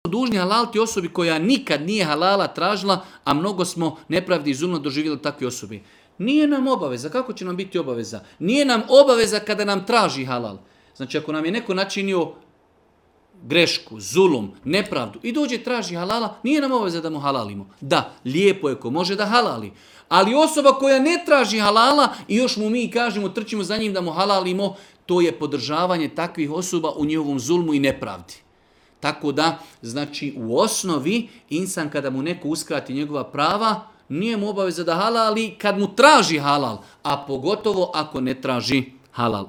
dužni halaliti osobi koja nikad nije halala tražila, a mnogo smo nepravdi i zulma doživjeli takve osobe. Nije nam obaveza. Kako će nam biti obaveza? Nije nam obaveza kada nam traži halal. Znači ako nam je neko načinio grešku, zulum, nepravdu i dođe traži halala, nije nam obaveza da mu halalimo. Da, lijepo je ko može da halali. Ali osoba koja ne traži halala i još mu mi kažemo, trčimo za njim da mu halalimo, to je podržavanje takvih osoba u njihovom zulmu i nepravdi. Tako da, znači u osnovi, insan kada mu neko uskrati njegova prava, nije mu obaveza da halali kad mu traži halal, a pogotovo ako ne traži halal.